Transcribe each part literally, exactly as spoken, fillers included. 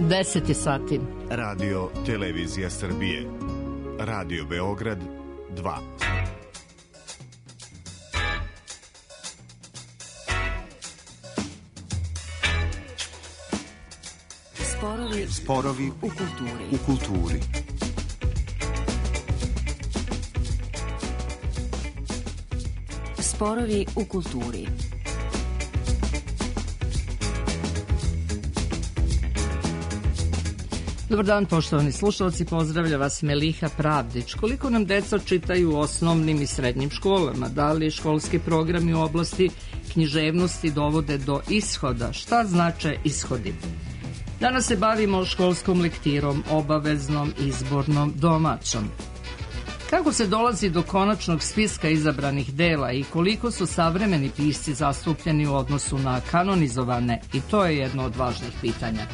deset je sati. Radio Televizija Srbije. Radio Beograd dva. Sporovi, Sporovi u kulturi. u kulturi. Sporovi u kulturi. Dobar dan, poštovani slušalci, pozdravlja vas Meliha Pravdić. Koliko nam deca čitaju u osnovnim i srednjim školama? Da li školski programi u oblasti književnosti dovode do ishoda? Šta znače ishodi? Danas se bavimo školskom lektirom, obaveznom, izbornom, domaćom. Kako se dolazi do konačnog spiska izabranih dela i koliko su savremeni pisci zastupljeni u odnosu na kanonizovane? I to je jedno od važnih pitanja.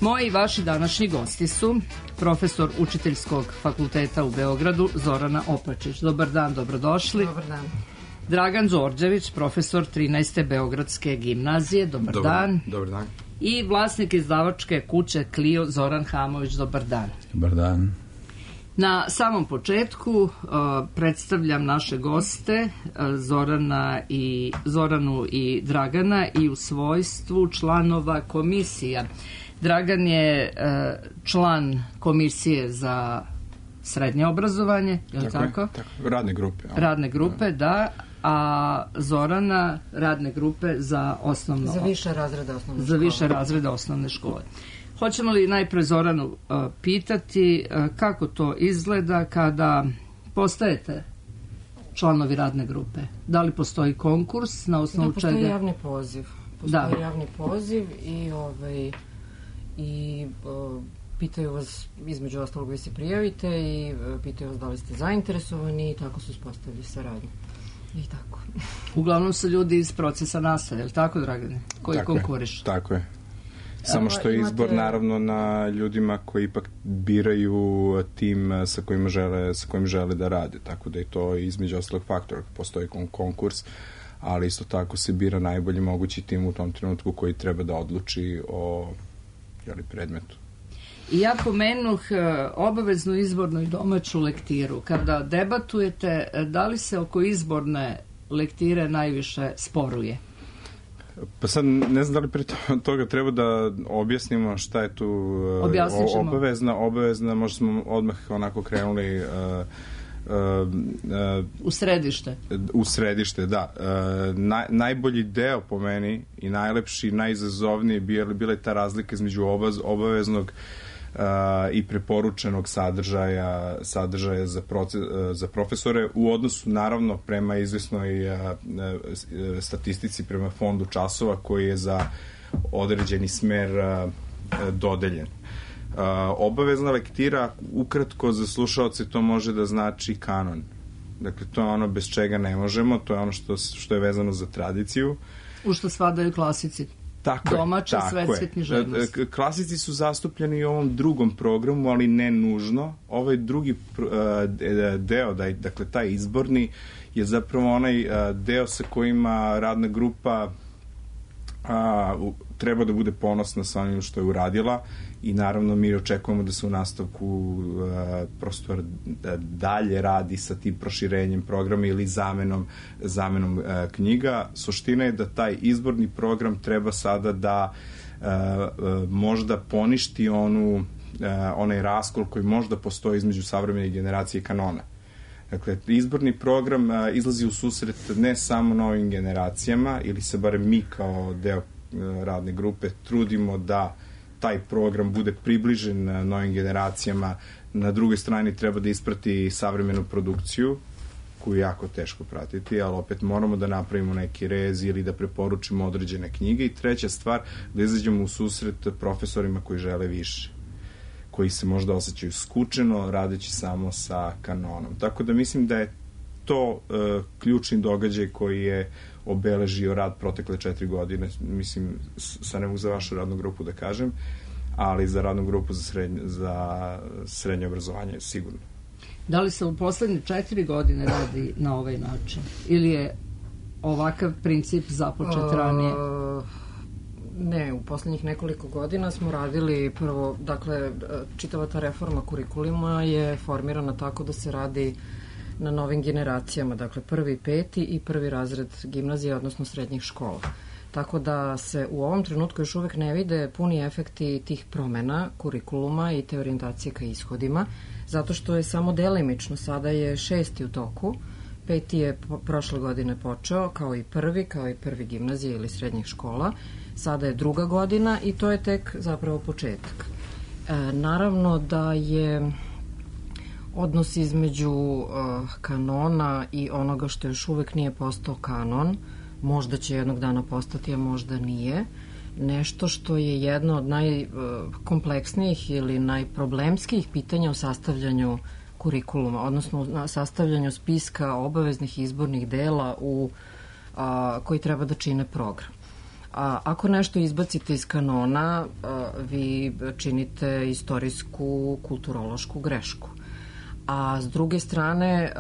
Moji i vaši današnji gosti su profesor Učiteljskog fakulteta u Beogradu Zorana Opačić. Dobar dan, dobrodošli. Dobar dan. Dragan Đorđević, profesor trinaeste Beogradske gimnazije. Dobar, dobar dan. Dobar dan. I vlasnik izdavačke kuće Clio Zoran Hamović. Dobar dan. Dobar dan. Na samom početku uh, predstavljam naše goste uh, Zorana i, Zoranu i Dragana i u svojstvu članova komisija. Dragan je uh, član komisije za srednje obrazovanje, je li tako? Tako? tako. Radne grupe. Ja. Radne grupe, da. A Zorana radne grupe za osnovno... Za više razreda osnovne za škole. Za više razreda osnovne škole. Hoćemo li najpre Zoranu uh, pitati uh, kako to izgleda kada postajete članovi radne grupe? Da li postoji konkurs na osnovu da, postoji čega? Postoji javni poziv. Postoji da. javni poziv i, ovaj, i uh, pitaju vas, između ostalog vi se prijavite i uh, pitaju vas da li ste zainteresovani i tako su uspostavili saradnju. I tako. Uglavnom su ljudi iz procesa nastave, je li tako, Dragane? Koji tako konkuriš? Je, tako je. Samo što je izbor imate... naravno na ljudima koji ipak biraju tim sa kojima žele, sa kojim žele da rade, tako da je to između ostalog faktor. Postoji konkurs, ali isto tako se bira najbolji mogući tim u tom trenutku koji treba da odluči o jeli, predmetu. I ja pomenuh obaveznu izbornu i domaću lektiru. Kada debatujete, da li se oko izborne lektire najviše sporuje? Pa sad ne znam da li pre toga treba da objasnimo šta je tu o, obavezna. Obavezna, možda smo odmah onako krenuli uh, uh, uh, u središte. U središte, da. Uh, naj, najbolji deo po meni i najlepši, najizazovniji bila, bila je ta razlika između obaz, obaveznog Uh, i preporučenog sadržaja sadržaja za, proces, uh, za profesore u odnosu naravno prema izvesnoj uh, uh, statistici prema fondu časova koji je za određeni smer uh, uh, dodeljen. Uh, obavezna lektira ukratko za slušaoce to može da znači kanon. Dakle, to je ono bez čega ne možemo, to je ono što, što je vezano za tradiciju. U što spadaju klasici. Tako domaće je, svetske književnosti. Klasici su zastupljeni i u ovom drugom programu, ali ne nužno. Ovaj drugi deo, dakle taj izborni, je zapravo onaj deo sa kojima radna grupa a, u, treba da bude ponosna sa onim što je uradila i naravno mi očekujemo da se u nastavku a, prosto da dalje radi sa tim proširenjem programa ili zamenom, zamenom a, knjiga. Suština je da taj izborni program treba sada da a, a, možda poništi onu, a, onaj raskol koji možda postoji između savremene generacije i kanona. Dakle, izborni program a, izlazi u susret ne samo novim generacijama, ili se barem mi kao deo a, radne grupe trudimo da taj program bude približen a, novim generacijama. Na drugoj strani treba da isprati savremenu produkciju, koju je jako teško pratiti, ali opet moramo da napravimo neki rez ili da preporučimo određene knjige. I treća stvar, da izađemo u susret profesorima koji žele više, koji se možda osjećaju skučeno radeći samo sa kanonom. Tako da mislim da je to uh, ključni događaj koji je obeležio rad protekle četiri godine. Mislim, sa ne mogu za vašu radnu grupu da kažem, ali za radnu grupu za srednje, za srednje obrazovanje sigurno. Da li se u poslednje četiri godine radi na ovaj način? Ili je ovakav princip započet ranije? Uh, Ne, u poslednjih nekoliko godina smo radili prvo, dakle, čitava ta reforma kurikuluma je formirana tako da se radi na novim generacijama, dakle prvi, peti i prvi razred gimnazije, odnosno srednjih škola. Tako da se u ovom trenutku još uvek ne vide puni efekti tih promena kurikuluma i te orijentacije ka ishodima, zato što je samo delimično, sada je šesti u toku, peti je prošle godine počeo, kao i prvi, kao i prvi gimnazije ili srednjih škola, sada je druga godina i to je tek zapravo početak. E, naravno da je odnos između uh, kanona i onoga što još uvek nije postao kanon, možda će jednog dana postati, a možda nije, nešto što je jedno od najkompleksnijih ili najproblemskijih pitanja u sastavljanju kurikuluma, odnosno u sastavljanju spiska obaveznih izbornih dela u, a, koji treba da čine program. A, ako nešto izbacite iz kanona, a, vi činite istorijsku, kulturološku grešku. A s druge strane,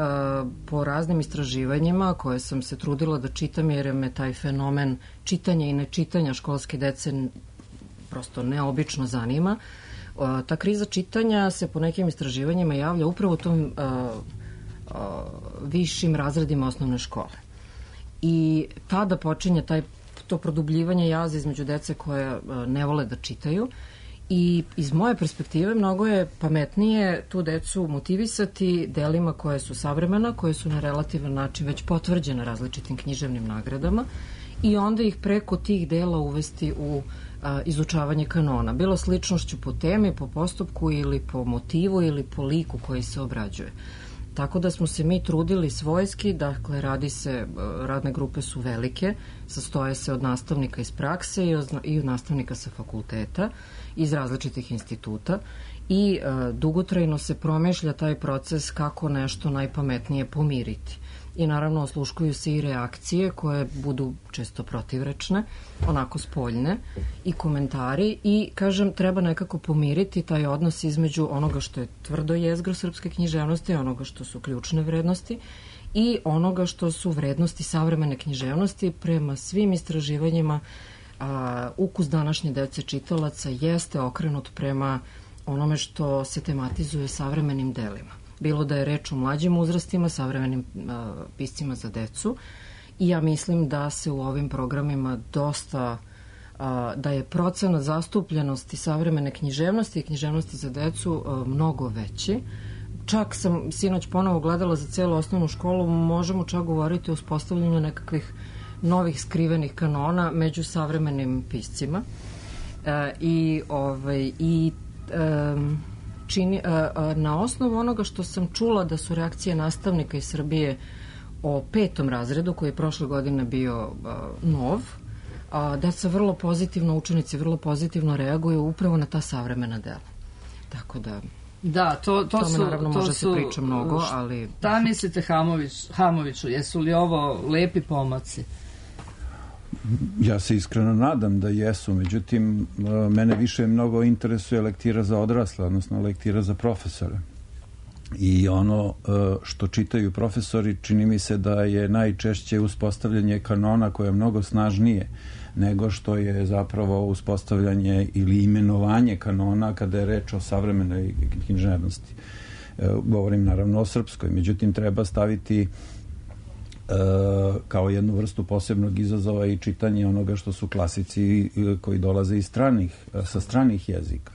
po raznim istraživanjima koje sam se trudila da čitam, jer me taj fenomen čitanja i nečitanja školske dece prosto neobično zanima, ta kriza čitanja se po nekim istraživanjima javlja upravo u tom višim razredima osnovne škole. I tada počinje taj, to produbljivanje jaza između dece koje ne vole da čitaju. I iz moje perspektive mnogo je pametnije tu decu motivisati delima koje su savremena, koje su na relativan način već potvrđene različitim književnim nagradama i onda ih preko tih dela uvesti u a, izučavanje kanona. Bilo sličnošću po temi, po postupku ili po motivu ili po liku koji se obrađuje. Tako da smo se mi trudili svojski, dakle radi se, radne grupe su velike, sastoje se od nastavnika iz prakse i od, i od nastavnika sa fakulteta, iz različitih instituta i e, dugotrajno se promišlja taj proces kako nešto najpametnije pomiriti. I naravno osluškuju se i reakcije koje budu često protivrečne, onako spoljne, i komentari i, kažem, treba nekako pomiriti taj odnos između onoga što je tvrdo jezgro srpske književnosti, onoga što su ključne vrednosti i onoga što su vrednosti savremene književnosti. Prema svim istraživanjima a, ukus današnje dece čitalaca jeste okrenut prema onome što se tematizuje savremenim delima. Bilo da je reč o mlađim uzrastima, savremenim a, piscima za decu. I ja mislim da se u ovim programima dosta, a, da je procenat zastupljenosti savremene književnosti i književnosti za decu a, mnogo veći. Čak sam sinoć ponovo gledala za celu osnovnu školu, možemo čak govoriti o uspostavljanju nekakvih novih skrivenih kanona među savremenim piscima. E, I, ovaj, i e, čini, na osnovu onoga što sam čula da su reakcije nastavnika iz Srbije o petom razredu, koji je prošle godine bio nov, deca vrlo pozitivno, učenici vrlo pozitivno reaguju upravo na ta savremena dela. Tako da... Da, to, to, to su... naravno to može su, se priča mnogo, ali... Šta mislite, Hamović, Hamoviću, jesu li ovo lepi pomaci? Ja se iskreno nadam da jesu, međutim, mene više mnogo interesuje lektira za odrasle, odnosno lektira za profesore. I ono što čitaju profesori, čini mi se da je najčešće uspostavljanje kanona koje je mnogo snažnije nego što je zapravo uspostavljanje ili imenovanje kanona kada je reč o savremenoj književnosti. Govorim naravno o srpskoj, međutim treba staviti kao jednu vrstu posebnog izazova i čitanje onoga što su klasici koji dolaze iz stranih, sa stranih jezika.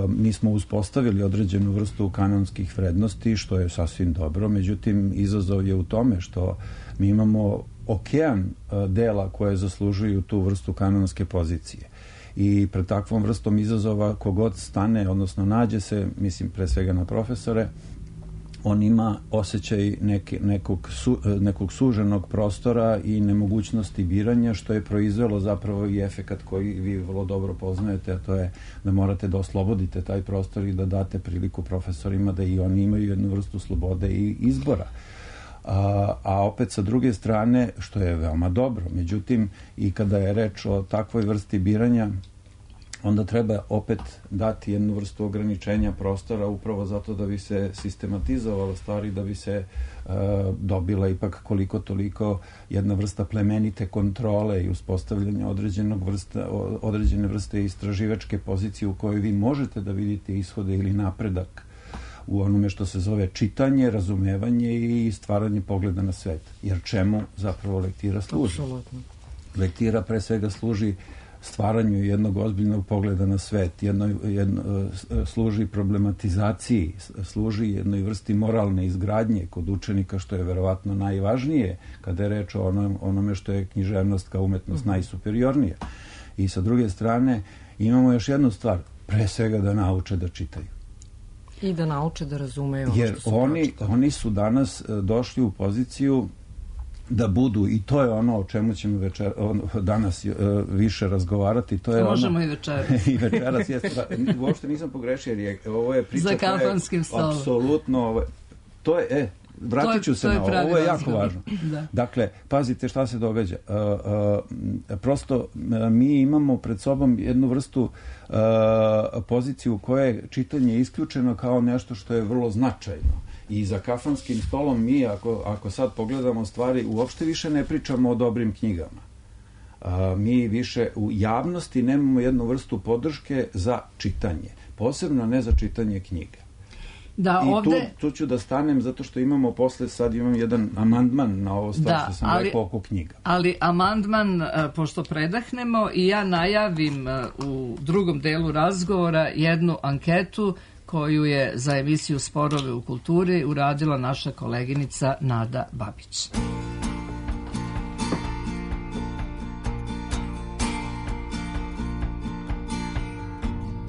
Mi smo uspostavili određenu vrstu kanonskih vrednosti, što je sasvim dobro, međutim izazov je u tome što mi imamo okean dela koje zaslužuju tu vrstu kanonske pozicije. I pred takvom vrstom izazova kogod stane, odnosno nađe se, mislim pre svega na profesore, on ima osjećaj neke, nekog, su, nekog suženog prostora i nemogućnosti biranja, što je proizvelo zapravo i efekat koji vi vrlo dobro poznajete, a to je da morate da oslobodite taj prostor i da date priliku profesorima da i oni imaju jednu vrstu slobode i izbora. A, a opet sa druge strane, što je veoma dobro, međutim i kada je reč o takvoj vrsti biranja, onda treba opet dati jednu vrstu ograničenja prostora upravo zato da bi se sistematizovalo stvari, da bi se uh, dobila ipak koliko toliko jedna vrsta plemenite kontrole i uspostavljanja određenog vrsta, određene vrste istraživačke pozicije u kojoj vi možete da vidite ishode ili napredak u onome što se zove čitanje, razumevanje i stvaranje pogleda na svet. Jer čemu zapravo lektira služi? Apsolutno. Lektira pre svega služi stvaranju jednog ozbiljnog pogleda na svet, jedno, jedno, služi problematizaciji, služi jednoj vrsti moralne izgradnje kod učenika, što je verovatno najvažnije kada je reč o onom, onome što je književnost kao umetnost najsuperiornija. I sa druge strane imamo još jednu stvar, pre svega da nauče da čitaju. I da nauče da razumeju ono Jer što su oni, pročitali. oni su danas došli u poziciju da budu, i to je ono o čemu ćemo večer, danas uh, više razgovarati. To je Možemo ono, i večeras. I večeras, jeste. Uopšte nisam pogrešio, jer je, ovo je priča Za kafanskim stolom. Apsolutno, ovo, to je, e, vratit ću se na ovo, ovo je jako važno. Da. Dakle, pazite šta se događa. Uh, uh, prosto uh, mi imamo pred sobom jednu vrstu uh, poziciju u kojoj je čitanje isključeno kao nešto što je vrlo značajno. I za kafanskim stolom mi, ako, ako sad pogledamo stvari, uopšte više ne pričamo o dobrim knjigama. A, mi više u javnosti nemamo jednu vrstu podrške za čitanje. Posebno ne za čitanje knjiga. Da, I ovde... tu, tu ću da stanem zato što imamo posle, sad imam jedan amandman na ovo stvar Da, što sam ali- rekao oko knjiga. Ali amandman, e, pošto predahnemo i ja najavim e, u drugom delu razgovora jednu anketu koju je za emisiju Sporove u kulturi uradila naša koleginica Nada Babić.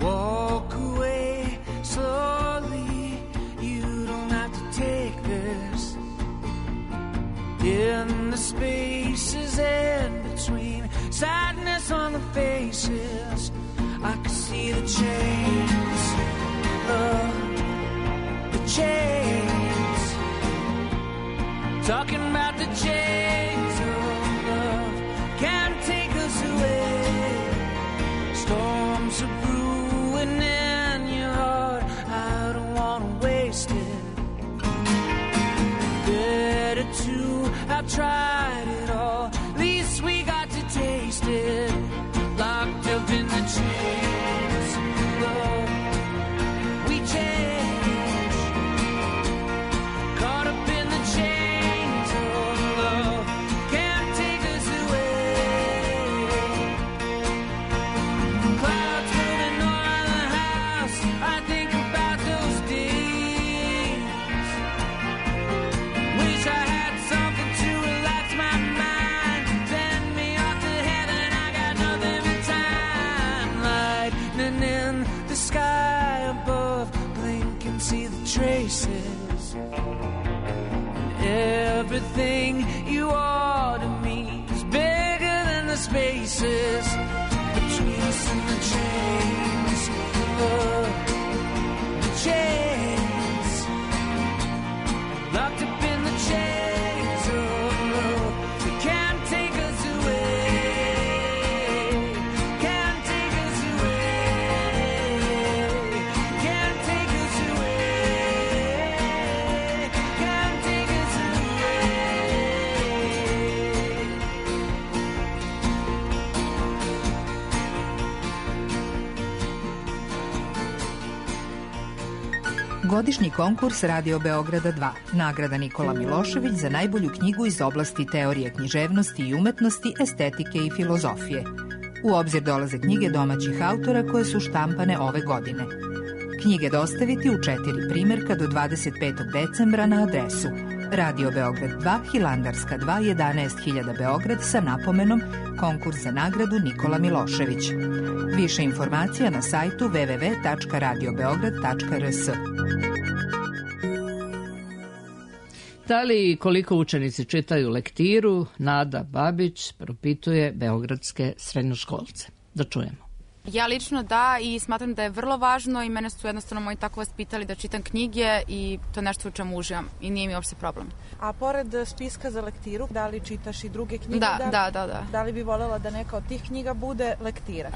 Walk away slowly, you don't have to take this. In the spaces in between, sadness on the faces, I can see the chains, uh, the chains, talking about the chains of love, can't take us away. Storms are brewing in your heart, I don't want to waste it. Better to have tried it all, at least we got to taste it. Locked up in the chains, love, we change. Caught up in the chains of love, can't take us away. Clouds moving on the house, I think about those days. Wish I had something to relax my mind, send me off to heaven, I got nothing but time. Lightning in the sky above, blink and see the traces. And everything you are to me is bigger than the spaces between us and the chains, oh, the chains, locked up in the chains of love. They can't take us away, can't take us away, can't take us away, can't take us away. Godišnji konkurs Radio Beograda dva. Nagrada Nikola Milošević za najbolju knjigu iz oblasti teorije književnosti i umetnosti, estetike i filozofije. U obzir dolaze knjige domaćih autora koje su štampane ove godine. Knjige dostaviti u četiri primerka do dvadeset petog decembra na adresu Radio Beograd dva, Hilandarska dva, jedanaest hiljada Beograd sa napomenom Konkurs za nagradu Nikola Milošević. Više informacija na sajtu w w w tačka radio beograd tačka r s. Da li i koliko učenici čitaju lektiru, Nada Babić propituje beogradske srednjoškolce. Da čujemo. Ja lično da i smatram da je vrlo važno i mene su jednostavno moji tako vaspitali da čitam knjige i to je nešto u čemu uživam i nije mi uopšte problem. A pored spiska za lektiru, da li čitaš i druge knjige? Da, li, da, da, da. Da li bi voljela da neka od tih knjiga bude lektira?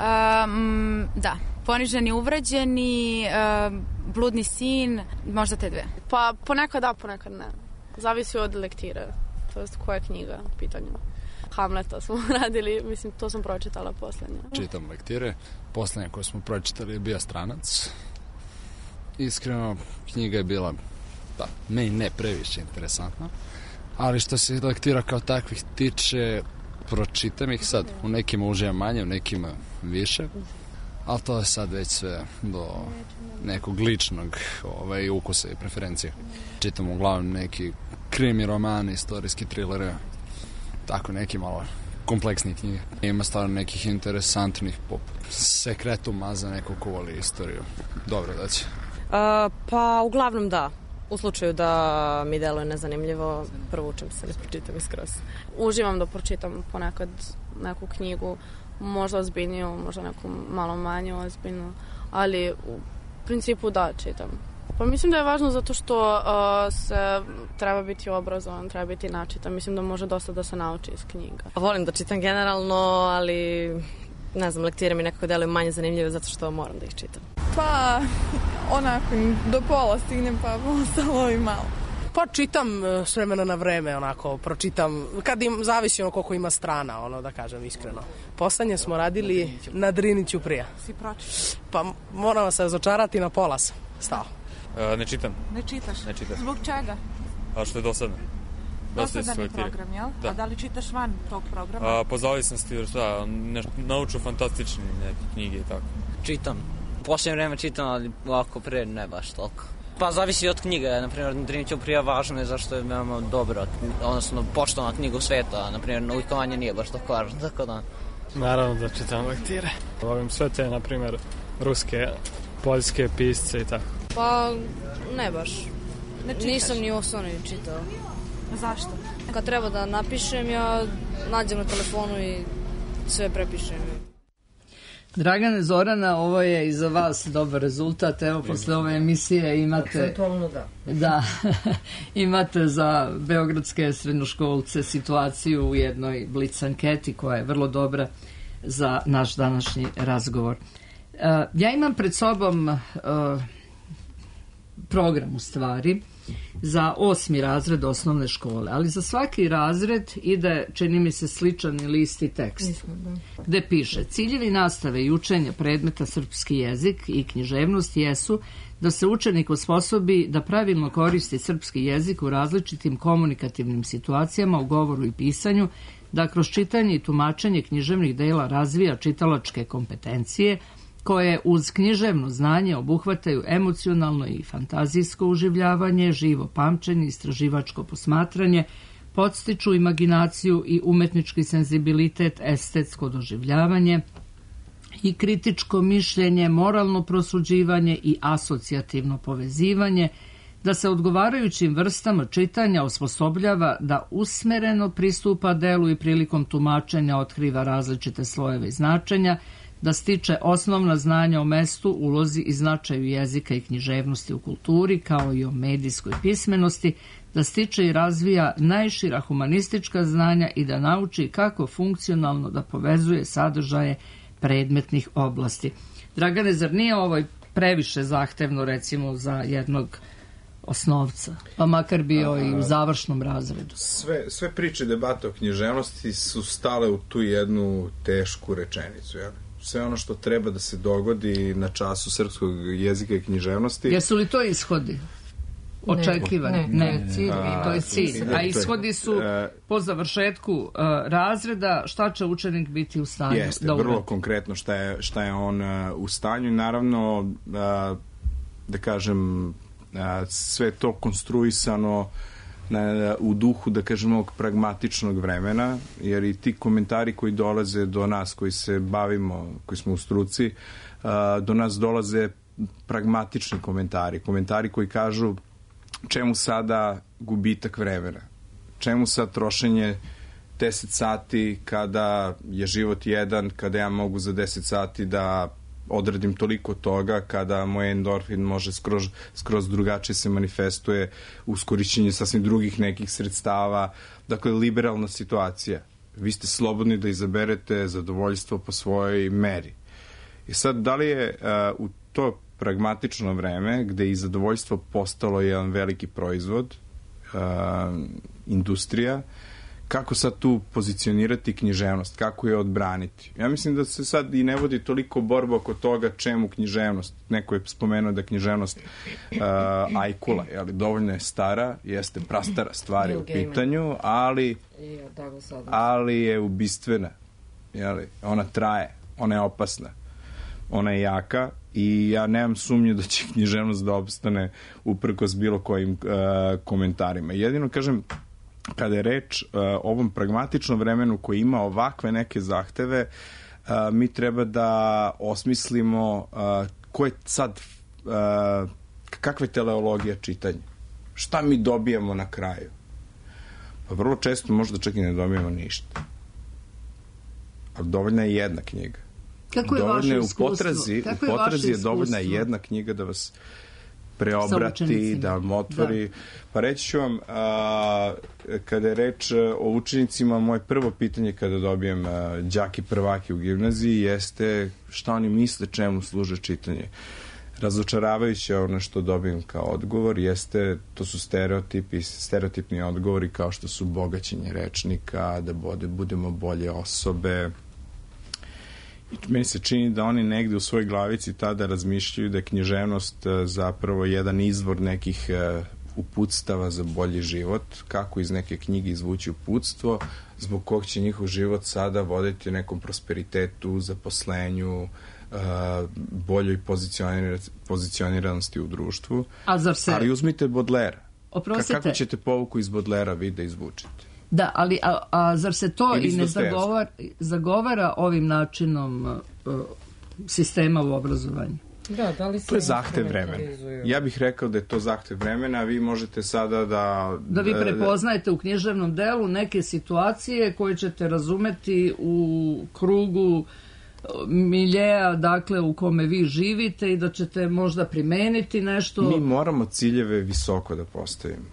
Um, da. Poniženi, uvređeni, um, Bludni sin, možda te dve. Pa ponekad da, ponekad ne. Zavisi od lektire, to jest koja je knjiga u pitanju. Hamleta smo radili, mislim, to sam pročitala poslednje. Čitam lektire, poslednje koje smo pročitali je bio Stranac. Iskreno, knjiga je bila, da, meni ne previše interesantna, ali što se lektira kao takvih tiče, pročitam ih sad, u nekima uživam manje, u nekima više, ali to je sad već sve do nekog ličnog ovaj, ukusa i preferencije. Čitam uglavnom neki krimi romani, istorijski trilere, tako neki malo kompleksni knjige. Ima stvarno nekih interesantnih poput Sekretuma za neko ko voli istoriju. Dobro da će. Uh, pa uglavnom da. U slučaju da mi deluje nezanimljivo, provučem se, ne pročitam iskroz. Uživam da pročitam ponekad neku knjigu, možda ozbiljniju, možda neku malo manju ozbiljnu, ali u principu da, čitam. Pa mislim da je važno zato što uh, se treba biti obrazovan, treba biti načitan. Mislim da može dosta da se nauči iz knjiga. Volim da čitam generalno, ali ne znam, lektire mi nekako deluju manje zanimljive zato što moram da ih čitam. Pa onako do pola stignem pa ostalo i malo. Pa čitam s vremena na vreme, onako, pročitam, kad im, zavisi ono koliko ima strana, ono, da kažem iskreno. Poslednje smo radili na Driniću prija. Si pročitao? Pa moram se razočarati, na pola sam stao. E, ne čitam. Ne čitaš? Ne čitam. Zbog čega? A što je dosadno. Dosadan je program, jel? Da. A da li čitaš van tog programa? A, po zavisnosti, šta, naučno-fantastične neke knjige i tako. Čitam. U posljednje vreme čitam, ali ovako pre ne baš toliko. Pa zavisi od knjige, na primjer, Driniću prija važno je zašto je veoma dobra, odnosno poštovana knjiga u sveta, na primjer, naukovanje nije baš tako važno, tako da... Naravno da čitam lektire. Volim sve te, na primjer, ruske, poljske pisce i tako. Pa, ne baš. Ne Nisam ni osnovni čitao. Zašto? Kad treba da napišem, ja nađem na telefonu i sve prepišem. Dragane, Zorana, ovo je i za vas dobar rezultat. Evo, posle ove emisije imate... Akcentualno da. Da, imate za beogradske srednjoškolce situaciju u jednoj blic anketi koja je vrlo dobra za naš današnji razgovor. Uh, ja imam pred sobom uh, program u stvari za osmi razred osnovne škole, ali za svaki razred ide, čini mi se, sličan ili isti tekst, gde piše: ciljevi nastave i učenja predmeta srpski jezik i književnost jesu da se učenik osposobi da pravilno koristi srpski jezik u različitim komunikativnim situacijama u govoru i pisanju, da kroz čitanje i tumačenje književnih dela razvija čitalačke kompetencije, koje uz književno znanje obuhvataju emocionalno i fantazijsko uživljavanje, živo pamćenje, istraživačko posmatranje, podstiču imaginaciju i umetnički senzibilitet, estetsko doživljavanje i kritičko mišljenje, moralno prosuđivanje i asocijativno povezivanje, da se odgovarajućim vrstama čitanja osposobljava da usmereno pristupa delu i prilikom tumačenja otkriva različite slojeve i značenja, da stiče osnovna znanja o mestu, ulozi i značaju jezika i književnosti u kulturi, kao i o medijskoj pismenosti, da stiče i razvija najšira humanistička znanja i da nauči kako funkcionalno da povezuje sadržaje predmetnih oblasti. Dragane, zar nije ovo previše zahtevno, recimo, za jednog osnovca, pa makar bio i u završnom razredu? Sve, sve priče debate o književnosti su stale u tu jednu tešku rečenicu, jel? Sve ono što treba da se dogodi na času srpskog jezika i književnosti. Jesu li to ishodi? Očekivani? Ne, ne, ne, cilj. A, to je cilj. A ishodi su po završetku uh, razreda, šta će učenik biti u stanju jeste, da uvede? Vrlo konkretno šta je, šta je on uh, u stanju i naravno uh, da kažem uh, sve to konstruisano na, u duhu, da kažem, ovog pragmatičnog vremena, jer i ti komentari koji dolaze do nas, koji se bavimo, koji smo u struci, do nas dolaze pragmatični komentari, komentari koji kažu čemu sada gubitak vremena, čemu sad trošenje deset sati kada je život jedan, kada ja mogu za deset sati da odradim toliko toga, kada moj endorfin može skroz, skroz drugačije se manifestuje uz korišćenje sasvim drugih nekih sredstava. Dakle, liberalna situacija. Vi ste slobodni da izaberete zadovoljstvo po svojoj meri. I sad, da li je uh, u to pragmatično vreme, gde je i zadovoljstvo postalo jedan veliki proizvod, uh, industrija, kako sad tu pozicionirati književnost, kako je odbraniti? Ja mislim da se sad i ne vodi toliko borba oko toga čemu književnost. Neko je spomenuo da književnost uh, ajkula, ali dovoljno je stara, jeste prastara stvari u pitanju, ali, ali je ubistvena. Jeli? Ona traje, ona je opasna, ona je jaka i ja nemam sumnje da će književnost da opstane uprkos bilo kojim uh, komentarima. Jedino, kažem, kada je reč uh, o ovom pragmatičnom vremenu koji ima ovakve neke zahteve, uh, mi treba da osmislimo uh, ko je sad, uh, kakva je teleologija čitanja. Šta mi dobijamo na kraju? Pa vrlo često možda čak i ne dobijemo ništa. Ali dovoljna je jedna knjiga. Kako je vaše iskustvo? U potrazi, u potrazi je dovoljna jedna knjiga da vas preobrati, da vam otvori. Da. Pa reći ću vam, a, kada je reč o učenicima, moje prvo pitanje kada dobijem a, đaki prvaki u gimnaziji jeste šta oni misle čemu služe čitanje. Razočaravajuće ono što dobijem kao odgovor jeste, to su stereotipi, stereotipni odgovori kao što su bogaćenje rečnika, da bude, budemo bolje osobe. I meni se čini da oni negde u svojoj glavici tada razmišljaju da je književnost zapravo jedan izvor nekih uputstava za bolji život, kako iz neke knjige izvući uputstvo, zbog kog će njihov život sada voditi nekom prosperitetu, zaposlenju, boljoj pozicioniranosti u društvu. A zar se... Ali uzmite Baudelaire. Oprostite. Kako ćete povuku iz Baudelairea vi da izvučite? Da, ali a, a zar se to i, i ne zagovara, zagovara ovim načinom uh, sistema u obrazovanju? Da, da li se to je zahtev vremena. Ja bih rekao da je to zahtev vremena, a vi možete sada da... Da vi prepoznajete u književnom delu neke situacije koje ćete razumeti u krugu miljeja, dakle, u kome vi živite i da ćete možda primeniti nešto... Mi moramo ciljeve visoko da postavimo.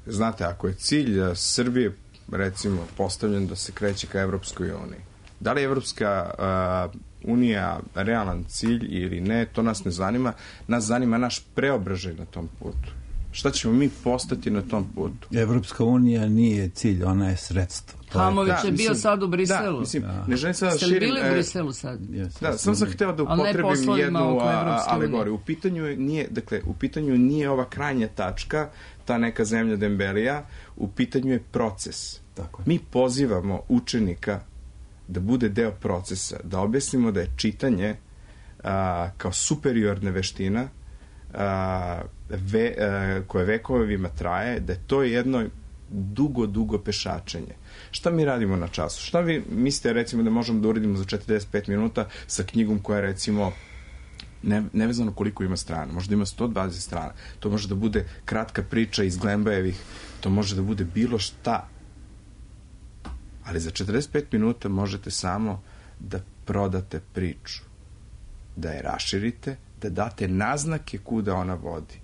Znate, ako je cilj Srbije, recimo, postavljen da se kreće ka Evropskoj uniji, da li je Evropska uh, unija realan cilj ili ne, to nas ne zanima. Nas zanima naš preobražaj na tom putu. Šta ćemo mi postati na tom putu? Evropska unija nije cilj, ona je sredstvo. Hamović je, da, je bio mislim, sad u Briselu. Da, mislim, da. Ne želim sad da širim... Ste li bili u Briselu sad? Yes, da, sam sam hteo da upotrebim jednu alegoriju. U pitanju nije, dakle, u pitanju nije ova krajnja tačka, ta neka zemlja Dembelija, u pitanju je proces. Tako je. Mi pozivamo učenika da bude deo procesa, da objasnimo da je čitanje a, kao superiorna veština a, ve, a, koje vekovima traje, da je to jedno dugo, dugo pešačenje. Šta mi radimo na času? Šta vi mislite, recimo, da možemo da uradimo za četrdeset pet minuta sa knjigom koja je, recimo, ne, nevezano koliko ima strana, možda ima sto dvadeset strana, to može da bude kratka priča iz Glembajevih, to može da bude bilo šta, ali za četrdeset pet minuta možete samo da prodate priču, da je raširite, da date naznake kuda ona vodi,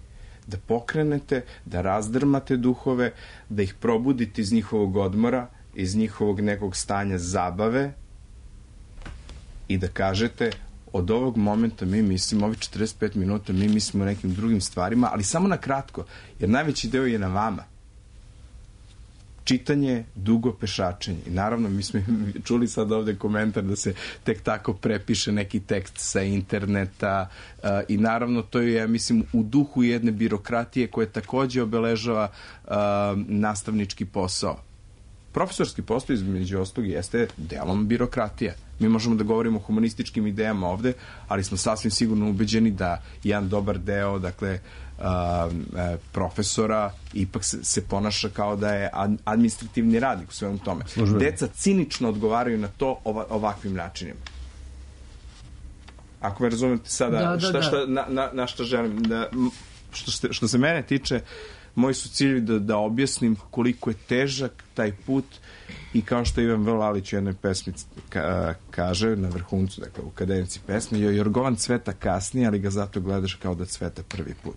da pokrenete, da razdrmate duhove, da ih probudite iz njihovog odmora, iz njihovog nekog stanja zabave i da kažete od ovog momenta mi mislimo, ovih četrdeset pet minuta mi mislimo o nekim drugim stvarima, ali samo na kratko, jer najveći deo je na vama. Čitanje, dugo pešačenje. I naravno, mi smo čuli sad ovde komentar da se tek tako prepiše neki tekst sa interneta uh, i naravno to je, ja mislim, u duhu jedne birokratije koje takođe obeležava uh, nastavnički posao. Profesorski posao između ostalog jeste delom birokratija. Mi možemo da govorimo o humanističkim idejama ovde, ali smo sasvim sigurno ubeđeni da jedan dobar deo, dakle, uh, profesora ipak se, se ponaša kao da je administrativni radnik u svemu tome. Službeno. Deca cinično odgovaraju na to ova, ovakvim načinima. Ako me razumete sada, da, da, šta, da. šta, na, na, na šta želim, da, što, što se mene tiče, moji su ciljevi da, da objasnim koliko je težak taj put i kao što Ivan V. Lalić u jednoj pesmi ka, kaže na vrhuncu, dakle u kadenici pesme, Jorgovan cveta kasnije, ali ga zato gledaš kao da cveta prvi put.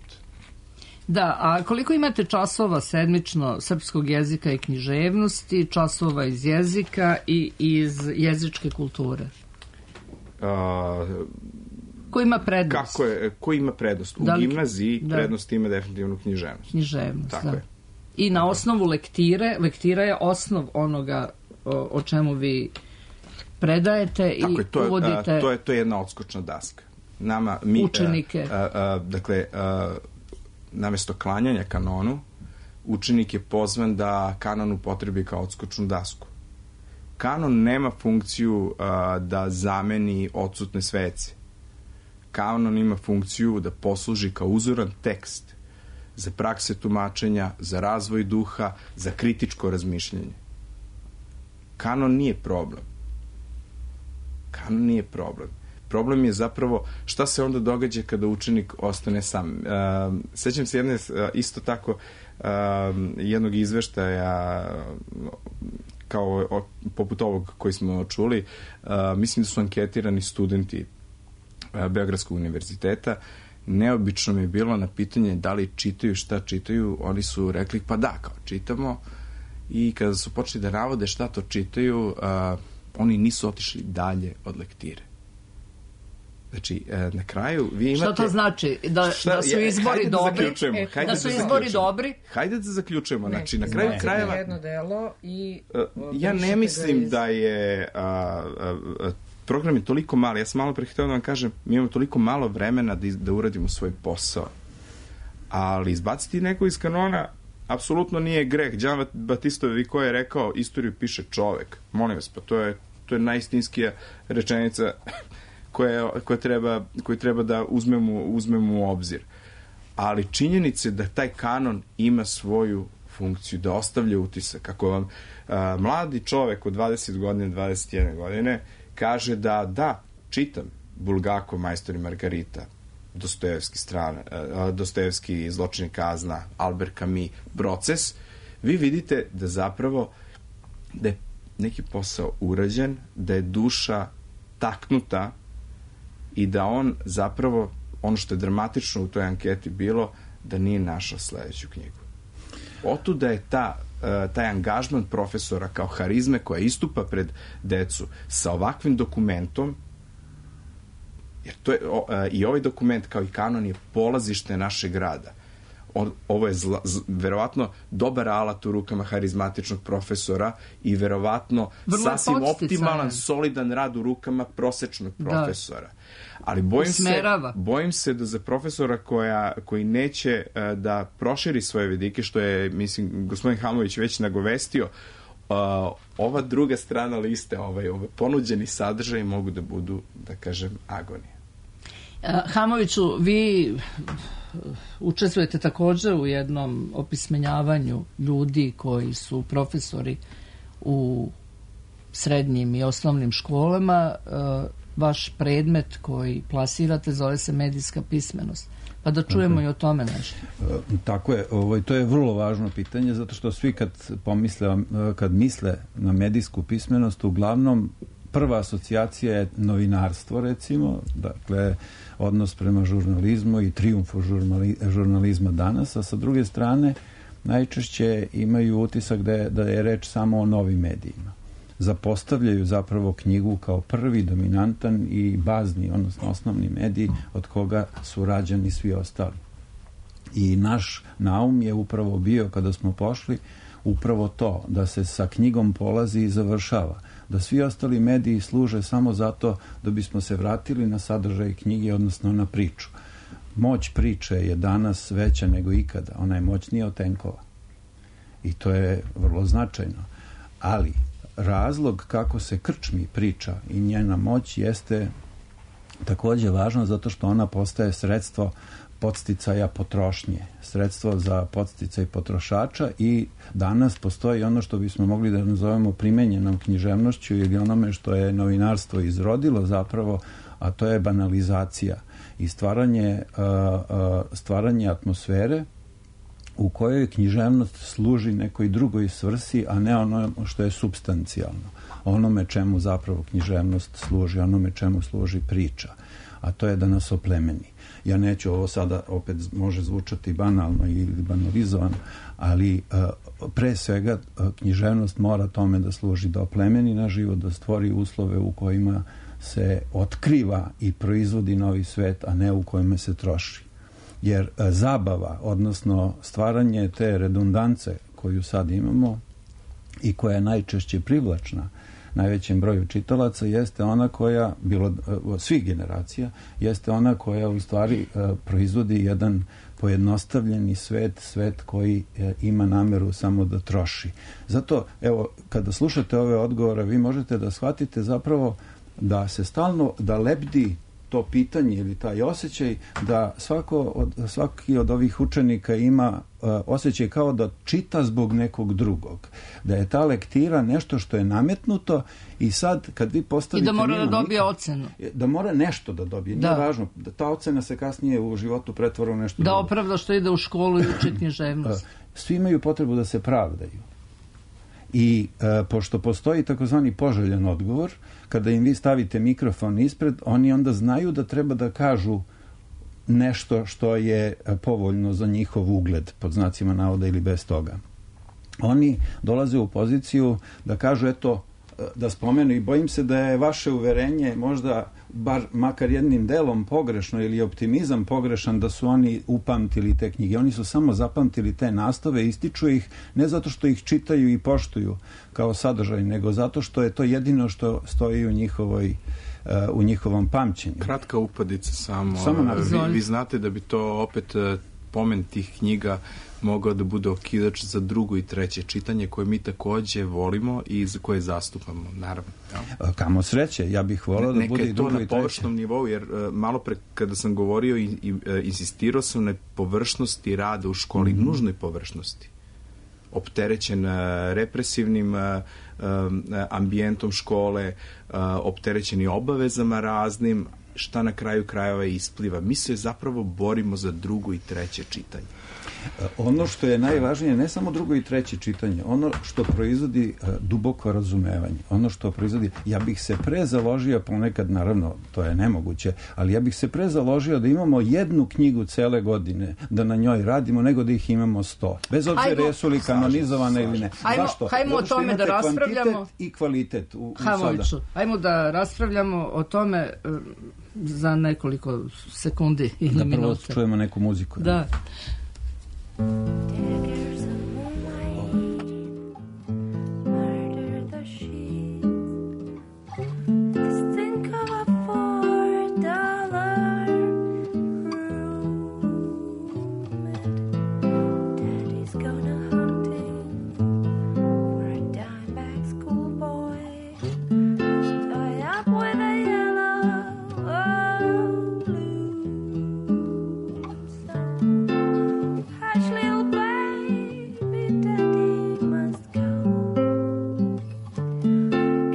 Da, a koliko imate časova sedmično srpskog jezika i književnosti, časova iz jezika i iz jezičke kulture? A, ko ima prednost? Kako je, ko ima prednost? U da li, gimnaziji da. prednost ima definitivno književnost. Književnost, tako da. Je. I na osnovu lektire, lektira je osnov onoga o, o čemu vi predajete tako i je, to je, uvodite... A, to, je, to je jedna odskočna daska. Nama, mi, učenike. A, a, a, dakle, a, namesto klanjanja kanonu, učenik je pozvan da kanon upotrebi kao odskočnu dasku. Kanon nema funkciju a, da zameni odsutne svece. Kanon ima funkciju da posluži kao uzoran tekst za prakse tumačenja, za razvoj duha, za kritičko razmišljanje. Kanon nije problem. Kanon nije problem. Problem je zapravo šta se onda događa kada učenik ostane sam. Uh, sećam se jedne, uh, isto tako, uh, jednog izveštaja kao o, poput ovog koji smo čuli. Uh, mislim da su anketirani studenti uh, Beogradskog univerziteta. Neobično mi je bilo na pitanje da li čitaju, šta čitaju. Oni su rekli pa da, kao čitamo. I kada su počeli da navode šta to čitaju, uh, oni nisu otišli dalje od lektire. Znači, na kraju vi imate... Šta to znači? Da, šta, da su izbori ja, dobri? Da e, da, da su izbori dobri? Hajde da zaključujemo. Ne, znači, na kraju krajeva... jedno delo i... Uh, ja ne mislim iz... da je... Uh, uh, program je toliko mali. Ja sam malo pre htio da vam kažem, mi imamo toliko malo vremena da, da uradimo svoj posao. Ali izbaciti neko iz kanona apsolutno nije greh. Đan Batistovi ko je rekao, istoriju piše čovek. Molim vas, pa to je, to je najistinskija rečenica koje, koje, treba, koje treba da uzmemo, uzmemo u obzir. Ali činjenice da taj kanon ima svoju funkciju, da ostavlja utisak. Kako vam a, mladi čovek od dvadeset godina, dvadeset jedne godine kaže da, da, čitam Bulgakov, Majstor i Margarita, Dostojevski strana, Dostojevski Zločin i kazna, Albert Camus, Proces, vi vidite da zapravo da je neki posao urađen, da je duša taknuta i da on zapravo, ono što je dramatično u toj anketi bilo, da nije našao sledeću knjigu. Otuda je ta, taj angažman profesora kao harizme koja istupa pred decu sa ovakvim dokumentom, jer to je, o, i ovaj dokument kao i kanon je polazište našeg rada. O, ovo je zla, z, verovatno dobar alat u rukama harizmatičnog profesora i verovatno vrlo sasvim optimalan, solidan rad u rukama prosečnog profesora. Da. Ali bojim se, bojim se da za profesora koja, koji neće uh, da proširi svoje vidike, što je, mislim, gospodin Hamović već nagovestio, uh, ova druga strana liste, ovaj, ovaj ponuđeni sadržaj mogu da budu, da kažem, agonija. Hamoviću, vi učestvujete također u jednom opismenjavanju ljudi koji su profesori u srednjim i osnovnim školama. Vaš predmet koji plasirate zove se medijska pismenost. Pa da čujemo okay. i o tome nešto. Tako je, ovo, to je vrlo važno pitanje, zato što svi kad pomisle, kad misle na medijsku pismenost, uglavnom prva asocijacija je novinarstvo, recimo, dakle, odnos prema žurnalizmu i trijumfu žurnalizma danas, a sa druge strane najčešće imaju utisak da je, da je reč samo o novim medijima. Zapostavljaju zapravo knjigu kao prvi dominantan i bazni, odnosno osnovni medij od koga su rađani svi ostali. I naš naum je upravo bio, kada smo pošli, upravo to, da se sa knjigom polazi i završava. Da svi ostali mediji služe samo zato da bismo se vratili na sadržaj knjige, odnosno na priču. Moć priče je danas veća nego ikada. Ona je moćnija od tenkova. I to je vrlo značajno. Ali razlog kako se krčmi priča i njena moć jeste također važno zato što ona postaje sredstvo podsticaja potrošnje, sredstvo za podsticaj potrošača i danas postoji ono što bismo mogli da nazovemo primenjenom književnošću ili onome što je novinarstvo izrodilo zapravo, a to je banalizacija i stvaranje, uh, uh, stvaranje atmosfere u kojoj književnost služi nekoj drugoj svrsi, a ne ono što je supstancijalno. Onome čemu zapravo književnost služi, onome čemu služi priča, a to je da nas oplemeni. Ja neću, ovo sada opet može zvučati banalno ili banalizovano, ali pre svega književnost mora tome da služi, da oplemeni naš život, da stvori uslove u kojima se otkriva i proizvodi novi svet, a ne u kojima se troši. Jer zabava, odnosno stvaranje te redundance koju sad imamo i koja je najčešće privlačna najvećem broju čitalaca, jeste ona koja, bilo od svih generacija, jeste ona koja u stvari proizvodi jedan pojednostavljeni svet, svet koji ima nameru samo da troši. Zato, evo, kada slušate ove odgovore, vi možete da shvatite zapravo da se stalno, da lebdi to pitanje ili taj osjećaj da svako od, svaki od ovih učenika ima uh, osjećaj kao da čita zbog nekog drugog. Da je ta lektira nešto što je nametnuto i sad kad vi postavite... I da mora da dobije nikad, ocenu. Da mora nešto da dobije. Da. Nije važno. Da ta ocena se kasnije u životu pretvara u nešto da drugo. Opravda što ide u školu i uči književnost. Svi imaju potrebu da se pravdaju. I e, pošto postoji takozvani poželjan odgovor, kada im vi stavite mikrofon ispred, oni onda znaju da treba da kažu nešto što je povoljno za njihov ugled, pod znacima navoda ili bez toga. Oni dolaze u poziciju da kažu, eto, da spomenu i bojim se da je vaše uverenje možda bar makar jednim delom pogrešno ili optimizam pogrešan da su oni upamtili te knjige. Oni su samo zapamtili te nastave, ističu ih ne zato što ih čitaju i poštuju kao sadržaj, nego zato što je to jedino što stoji u njihovoj uh, u njihovom pamćenju. Kratka upadica samo. samo vi, vi znate da bi to opet uh, pomen tih knjiga mogao da bude okidač za drugo i treće čitanje koje mi takođe volimo i za koje zastupamo, naravno. Ja. Kamo sreće, ja bih volao da bude i drugo i treće. Neka je to na površnom nivou, jer uh, malo pre kada sam govorio i, i uh, insistirao sam na površnosti rada u školi, mm-hmm. nužnoj površnosti. Opterećen uh, represivnim uh, um, ambijentom škole, uh, opterećen i obavezama raznim, šta na kraju krajeva ispliva. Mi se zapravo borimo za drugo i treće čitanje. Ono što je najvažnije, ne samo drugo i treće čitanje, ono što proizvodi uh, duboko razumevanje, ono što proizvodi, ja bih se pre založio, ponekad naravno to je nemoguće, ali ja bih se pre založio da imamo jednu knjigu cele godine, da na njoj radimo, nego da ih imamo sto. Bez obzira jesu li kanonizovane ili ne. Ajmo, Zašto? hajmo o tome da raspravljamo. I kvalitet u, u Havoviću, sada. Ajmo da raspravljamo o tome uh, za nekoliko sekundi ili da minuta. Da prvo čujemo neku muziku. Da. Daggers of moonlight murder the sheets. Just think of a four dollar room. Daddy's gone a hunting for a dime bag schoolboy. Tie up with a yellow oh, blue sun. Hush, little baby, daddy must go.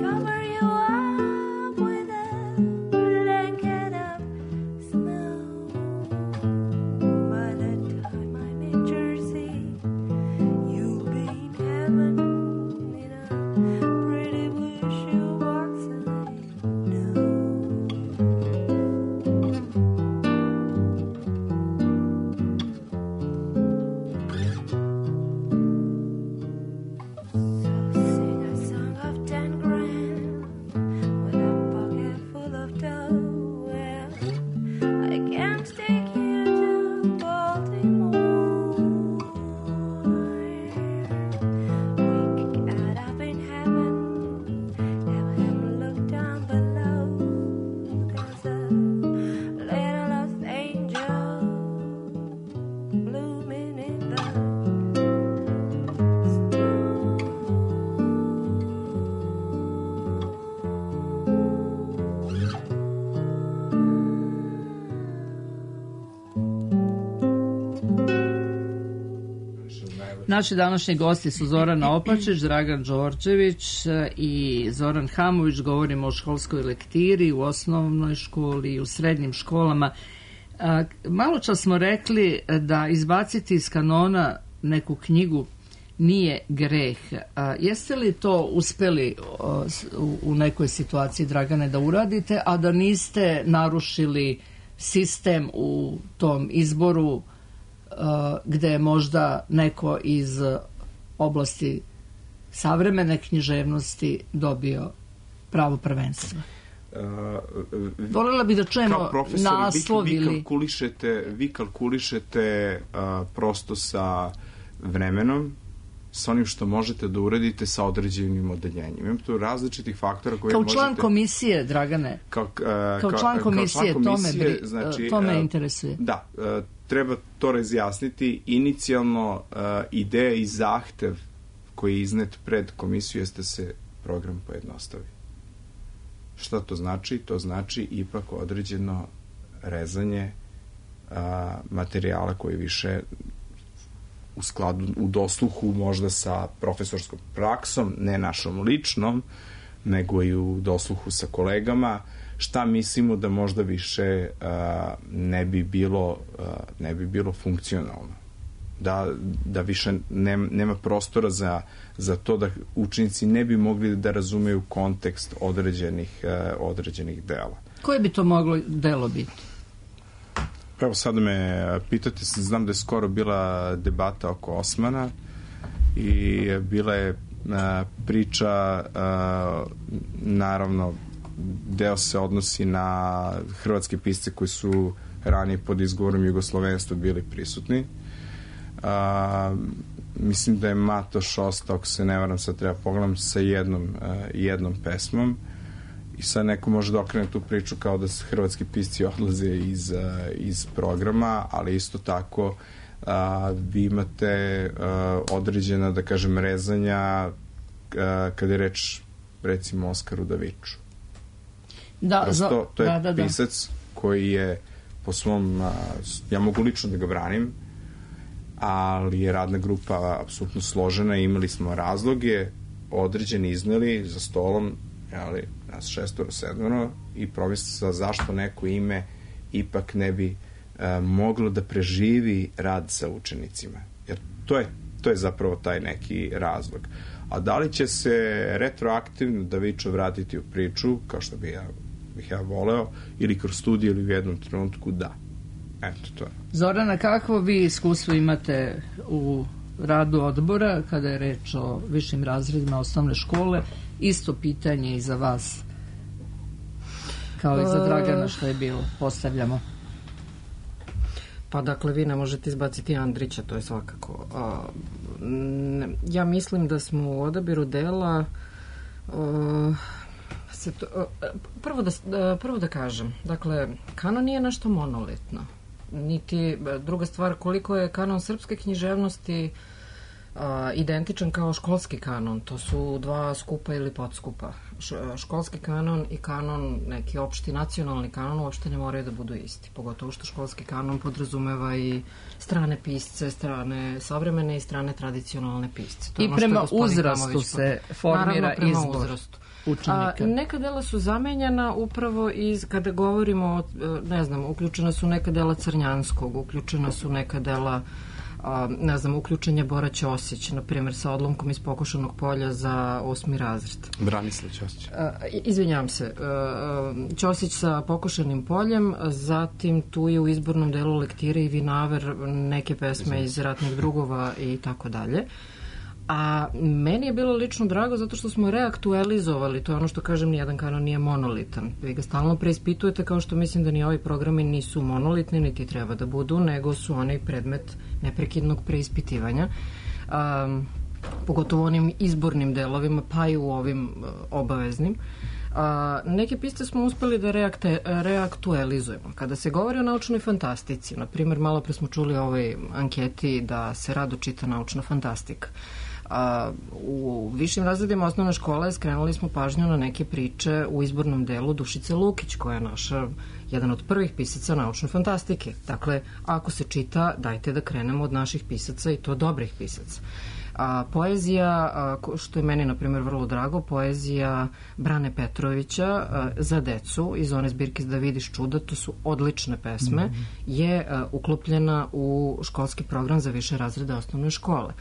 Cover you up with a blanket of snow. By the time I'm in Jersey, you'll be in heaven in a pretty blue shoebox, I know. Sing a song of ten grand with a pocket full of dough. Well, I can't take you to Baltimore. We could get up in heaven, have him look down below. There's a little lost angel blooming in the Naši današnji gosti su Zorana Opačić, Dragan Đorđević i Zoran Hamović. Govorimo o školskoj lektiri u osnovnoj školi i u srednjim školama. Malo čas smo rekli da izbaciti iz kanona neku knjigu nije greh. A, jeste li to uspeli a, u, u nekoj situaciji, Dragane, da uradite, a da niste narušili sistem u tom izboru a, gde je možda neko iz oblasti savremene književnosti dobio pravo prvenstva? Uh, Volela bih da čujemo naslov vi, vi ili... kalkulišete, vi kalkulišete uh, prosto sa vremenom, sa onim što možete da uradite sa određenim odeljenjem. Imam tu različitih faktora koje kao možete... član komisije, Dragane, kao, uh, kao član komisije, kao član komisije to me, znači, to me uh, interesuje. Da, uh, treba to razjasniti. Inicijalno uh, ideja i zahtev koji je iznet pred komisiju jeste se program pojednostavi. Šta to znači? To znači ipak određeno rezanje a, materijala koji više u skladu, u dosluhu možda sa profesorskom praksom, ne našom ličnom, nego i u dosluhu sa kolegama, šta mislimo da možda više a, ne bi bilo a, ne bi bilo funkcionalno. Da, da više nema, nema prostora za, za to da učenici ne bi mogli da razumeju kontekst određenih, uh, određenih dela. Koje bi to moglo delo biti? Evo sad me pitate, znam da je skoro bila debata oko Osmana i bila je uh, priča, uh, naravno deo se odnosi na hrvatske pisce koji su ranije pod izgovorom jugoslovenstva bili prisutni. A, mislim da je Matoš ostao, ako se ne varam, sad treba pogledam, sa jednom, uh, jednom pesmom i sad neko može da okrene tu priču kao da se hrvatski pisci odlaze iz, uh, iz programa, ali isto tako uh, vi imate uh, određena, da kažem, rezanja uh, kada je reč recimo Oskaru Daviču. Da, Prosto, za, to je da, da, da. pisac koji je po svom, uh, ja mogu lično da ga branim, ali je radna grupa apsolutno složena i imali smo razloge određeni izneli za stolom, ali nas šestoro, sedmoro i promislili zašto neko ime ipak ne bi uh, moglo da preživi rad sa učenicima. Jer to je, to je zapravo taj neki razlog. A da li će se retroaktivno Davičo vratiti u priču, kao što bih ja, bih ja voleo, ili kroz studiju ili u jednom trenutku, da. Eto, to je. Zorana, kakvo vi iskustvo imate u radu odbora kada je reč o višim razredima osnovne škole? Isto pitanje i za vas, kao i za Dragana što je bilo. Postavljamo. Pa dakle, vi ne možete izbaciti Andrića, to je svakako. A, ne, ja mislim da smo u odabiru dela a, se to, a, prvo, da, a, prvo da kažem, dakle, kanon nije nešto monolitno. Niti, druga stvar, koliko je kanon srpske književnosti a, identičan kao školski kanon. To su dva skupa ili podskupa. Š, školski kanon i kanon, neki opšti nacionalni kanon, uopšte ne moraju da budu isti. Pogotovo što školski kanon podrazumeva i strane pisce, strane savremene i strane tradicionalne pisce. To I prema uzrastu se formira izbor učenika. A, neka dela su zamenjena upravo iz, kada govorimo, ne znam, uključena su neka dela Crnjanskog, uključena su neka dela, a, ne znam, uključen je Bora Ćosić, na primjer, sa odlomkom iz Pokošanog polja za osmi razred. Branislav Ćosić. A, izvinjavam se, a, Ćosić sa Pokošanim poljem, zatim tu je u izbornom delu lektire i Vinaver, neke pesme iz Ratnih drugova i tako dalje. A meni je bilo lično drago zato što smo reaktualizovali, to je ono što kažem, nijedan kanon nije monolitan. Vi ga stalno preispitujete, kao što mislim da ni ovi programi nisu monolitni, niti treba da budu, nego su onaj predmet neprekidnog preispitivanja. Um, pogotovo onim izbornim delovima, pa i u ovim uh, obaveznim. A, neke piste smo uspeli da reakte, reaktualizujemo. Kada se govori o naučnoj fantastici, na primjer, malo pre smo čuli o ovoj anketi da se rado čita naučna fantastika. A, u višim razredima osnovne škole skrenuli smo pažnju na neke priče u izbornom delu Dušice Lukić, koja je naša jedan od prvih pisaca naučne fantastike. Dakle, ako se čita, dajte da krenemo od naših pisaca i to dobrih pisaca. A, poezija, a, što je meni, na primjer, vrlo drago, poezija Brane Petrovića a, za decu iz one zbirke Da vidiš čuda, to su odlične pesme, mm-hmm. je a, uklopljena u školski program za više razrede osnovne škole.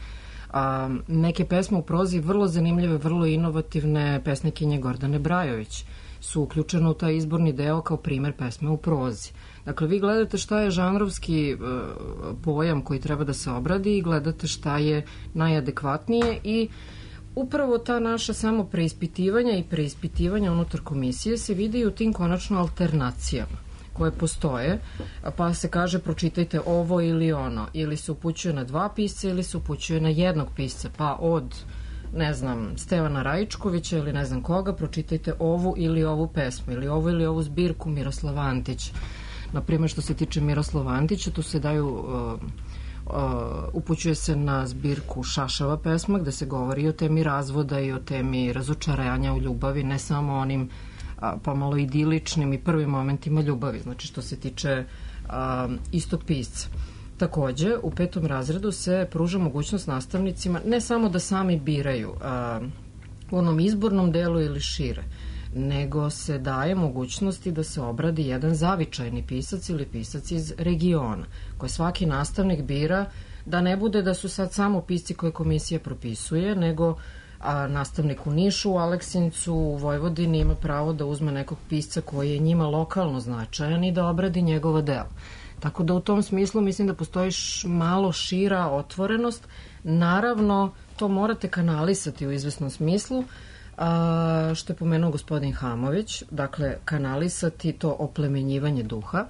A, neke pesme u prozi vrlo zanimljive, vrlo inovativne pesnikinje Gordane Brajović su uključene u taj izborni deo kao primer pesme u prozi. Dakle, vi gledate šta je žanrovski uh, pojam koji treba da se obradi i gledate šta je najadekvatnije i upravo ta naša samo preispitivanja i preispitivanja unutar komisije se vidi u tim konačno alternacijama koje postoje, pa se kaže pročitajte ovo ili ono, ili se upućuje na dva pisca ili se upućuje na jednog pisca, pa od ne znam, Stevana Rajičkovića ili ne znam koga, pročitajte ovu ili ovu pesmu ili ovu ili ovu zbirku Miroslava Antića. Naprimjer, što se tiče Miroslava Antića, tu se daju uh, uh, upućuje se na zbirku Šašava pesma, gde se govori o temi razvoda i o temi razočaranja u ljubavi, ne samo onim a, pomalo idiličnim i prvim momentima ljubavi, znači što se tiče a, istog pisca. Takođe, u petom razredu se pruža mogućnost nastavnicima ne samo da sami biraju a, u onom izbornom delu ili šire, nego se daje mogućnosti da se obradi jedan zavičajni pisac ili pisac iz regiona, koje svaki nastavnik bira, da ne bude da su sad samo pisci koje komisija propisuje, nego a nastavnik u Nišu, u Aleksincu, u Vojvodini ima pravo da uzme nekog pisca koji je njima lokalno značajan i da obradi njegovo delo. Tako da u tom smislu mislim da postoji malo šira otvorenost. Naravno, to morate kanalisati u izvesnom smislu, a, što je pomenuo gospodin Hamović, dakle kanalisati to oplemenjivanje duha,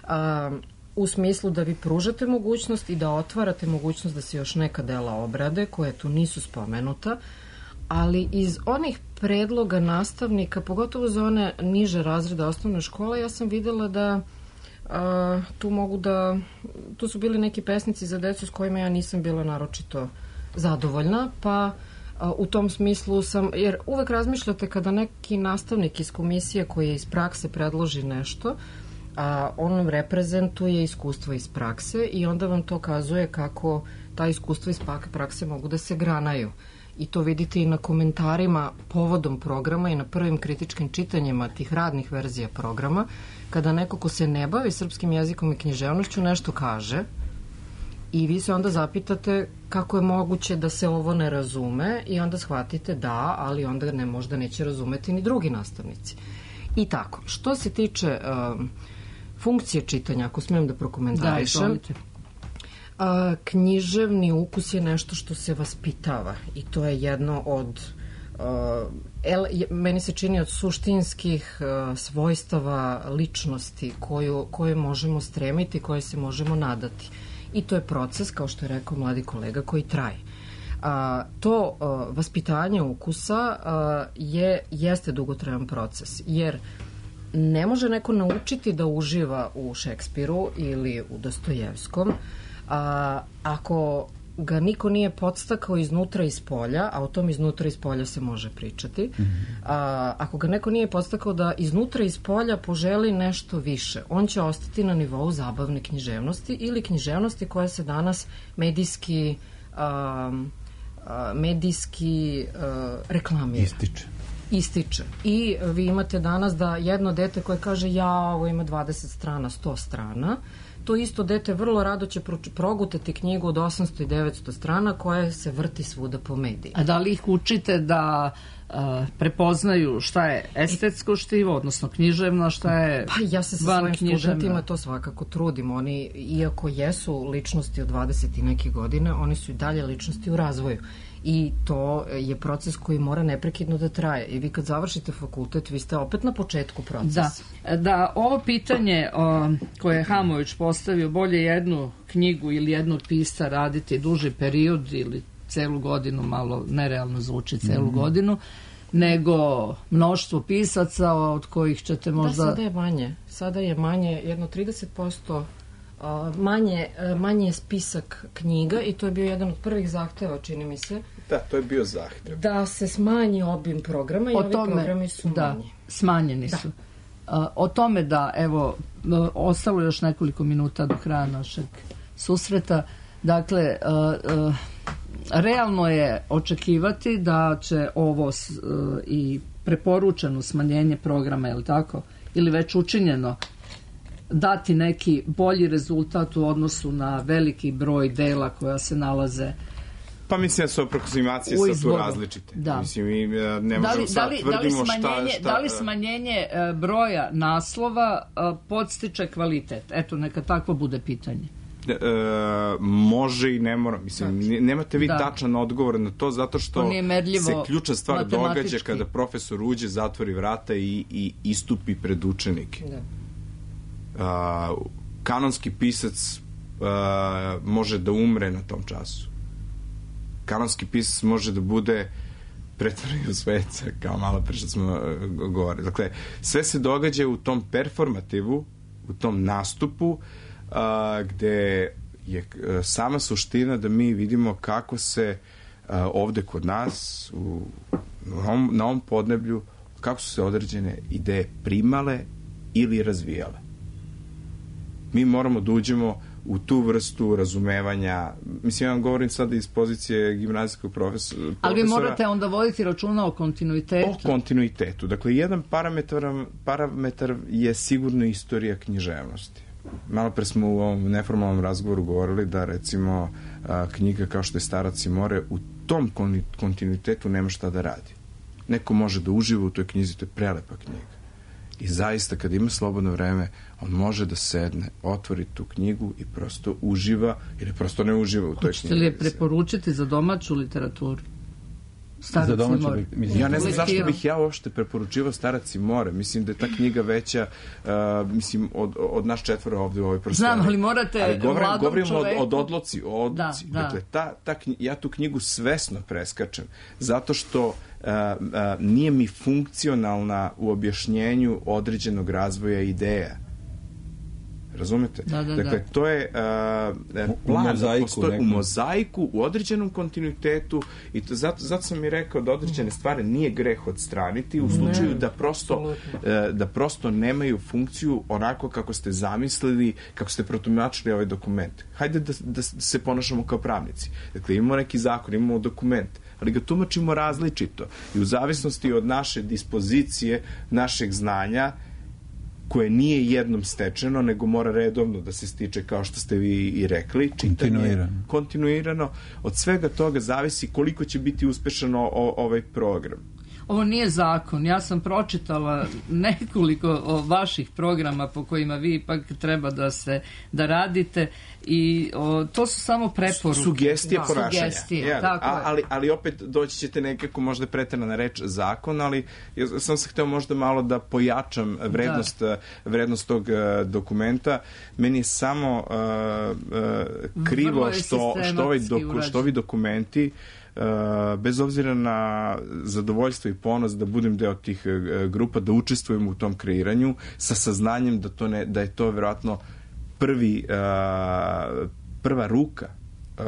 a, u smislu da vi pružate mogućnost i da otvarate mogućnost da se još neka dela obrade koje tu nisu spomenuta, ali iz onih predloga nastavnika, pogotovo za one niže razrede osnovne škole, ja sam videla da a, tu mogu da, tu su bili neki pesnici za decu s kojima ja nisam bila naročito zadovoljna, pa a, u tom smislu sam, jer uvek razmišljate kada neki nastavnik iz komisije koji je iz prakse predloži nešto, a on reprezentuje iskustvo iz prakse i onda vam to kazuje kako ta iskustva iz prakse mogu da se granaju. I to vidite i na komentarima povodom programa i na prvim kritičkim čitanjima tih radnih verzija programa, kada neko ko se ne bavi srpskim jezikom i književnošću nešto kaže i vi se onda zapitate kako je moguće da se ovo ne razume i onda shvatite da, ali onda ne možda neće razumeti ni drugi nastavnici. I tako, što se tiče um, funkcije čitanja, ako smijem da prokomentarišem, da, a, književni ukus je nešto što se vaspitava i to je jedno od a, el, meni se čini od suštinskih a, svojstava ličnosti koju, koje možemo stremiti, koje se možemo nadati. I to je proces, kao što je rekao mladi kolega, koji traje. A, to a, vaspitanje ukusa a, je, jeste dugotrajan proces, jer ne može neko naučiti da uživa u Šekspiru ili u Dostojevskom a, ako ga niko nije podstakao iznutra i spolja, a o tom iznutra i spolja se može pričati, a, ako ga neko nije podstakao da iznutra i spolja poželi nešto više, on će ostati na nivou zabavne književnosti ili književnosti koja se danas medijski a, a, medijski a, reklamira. Ističe. Ističe. I vi imate danas da jedno dete koje kaže ja, ovo ima dvadeset strana, sto strana, to isto dete vrlo rado će progutati knjigu od osamsto i devetsto strana koja se vrti svuda po mediji. A da li ih učite da uh, prepoznaju šta je estetsko štivo, odnosno književno, šta je pa ja se sa svojim studentima to svakako trudim. Oni, iako jesu ličnosti od dvadeset i neke godine, oni su i dalje ličnosti u razvoju. I to je proces koji mora neprekidno da traje. I vi kad završite fakultet, vi ste opet na početku procesa. Da, da ovo pitanje o, koje je Hamović postavio, bolje jednu knjigu ili jednog pisca raditi duži period ili celu godinu, malo nerealno zvuči celu mm. godinu, nego mnoštvo pisaca od kojih ćete možda... Da, sada je manje. Sada je manje, jedno trideset posto manje, manje je spisak knjiga i to je bio jedan od prvih zahteva, čini mi se, Da, to je bio zahtev. Da se smanji obim programa i O ovi tome, programi su da, manji. smanjeni Da. su. A, o tome da, evo, m, ostalo je još nekoliko minuta do kraja našeg susreta. Dakle, a, a, realno je očekivati da će ovo s- a, i preporučeno smanjenje programa, je li tako, ili već učinjeno, dati neki bolji rezultat u odnosu na veliki broj dela koja se nalaze. Pa mislim da su aproksimacije U sad tu izboru. različite. Da. Mislim, mi e, ne Da možemo li, sad da li, da li tvrdimo smanjenje, šta... šta da li smanjenje e, broja naslova e, podstiče kvalitet? Eto, neka takvo bude pitanje. E, može i ne mora. Mislim, ne- nemate vi Da. tačan odgovor na to, zato što To nije merljivo se ključna stvar događa matematički. kada profesor uđe, zatvori vrata i, i istupi pred učenike. Da. A, kanonski pisac a, može da umre na tom času. Kanonski pisac može da bude pretvoren u sveca, kao malo pre što smo e, govorili. Dakle, sve se događa u tom performativu, u tom nastupu, a, gde je e, sama suština da mi vidimo kako se a, ovde kod nas u, na, ovom, na ovom podneblju, kako su se određene ideje primale ili razvijale. Mi moramo da uđemo u tu vrstu razumevanja. Mislim, ja vam govorim sada iz pozicije gimnazijskog profesora. Ali vi morate onda voditi računa o kontinuitetu. O kontinuitetu. Dakle, jedan parametar, parametar je sigurno istorija književnosti. Malo pre smo u ovom neformalnom razgovoru govorili da, recimo, a, knjiga kao što je Starac i more, u tom kon- kontinuitetu nema šta da radi. Neko može da uživa u toj knjizi, to je prelepa knjiga. I zaista, kad ima slobodno vreme, on može da sedne, otvori tu knjigu i prosto uživa, ili prosto ne uživa u toj knjizi. Hoćete li je preporučiti za domaću literaturu? Starac Za domaću i more. li- mislim- Ja ne znam zašto Lektiru. bih ja uopšte preporučivao Starac i more. Mislim da je ta knjiga veća, uh, mislim, od, od nas četvora ovde u ovoj prostoriji. Znam, ali morate Ali govorim, mladom govorimo čoveku- od, od odloci, o odloci. Da, da. Dakle, ta, ta knji- ja tu knjigu svesno preskačem, zato što uh, uh, nije mi funkcionalna u objašnjenju određenog razvoja ideja. Razumete? Da, da, dakle, da. to je uh, U plan, mozaiku postoji- u nekom. mozaiku, u određenom kontinuitetu i to, zato, zato sam i rekao da određene stvari nije greh odstraniti u slučaju Ne, da prosto e, da prosto nemaju funkciju onako kako ste zamislili, kako ste protumačili ovaj dokument. Hajde da, da se ponašamo kao pravnici. Dakle, imamo neki zakon, imamo dokument, ali ga tumačimo različito i u zavisnosti od naše dispozicije, našeg znanja, koje nije jednom stečeno, nego mora redovno da se stiče, kao što ste vi i rekli. Čitanje, Kontinuirano. kontinuirano. Od svega toga zavisi koliko će biti uspešan o, o, ovaj program. Ovo nije zakon. Ja sam pročitala nekoliko o, vaših programa po kojima vi ipak treba da se da radite i o, to su samo preporuke. Sugestije Da. ponašanja. Sugestije, Jel? tako A, je. ali, ali opet doći ćete nekako možda preterana reč zakon, ali ja sam se hteo možda malo da pojačam vrednost, vrednost tog uh, dokumenta. Meni je samo uh, uh, krivo Vrlo je što, što, ovaj sistematski doku, urađen. što ovi dokumenti Uh, bez obzira na zadovoljstvo i ponos da budem deo tih uh, grupa, da učestvujem u tom kreiranju sa saznanjem da, to ne, da je to vjerojatno prvi, uh, prva ruka uh,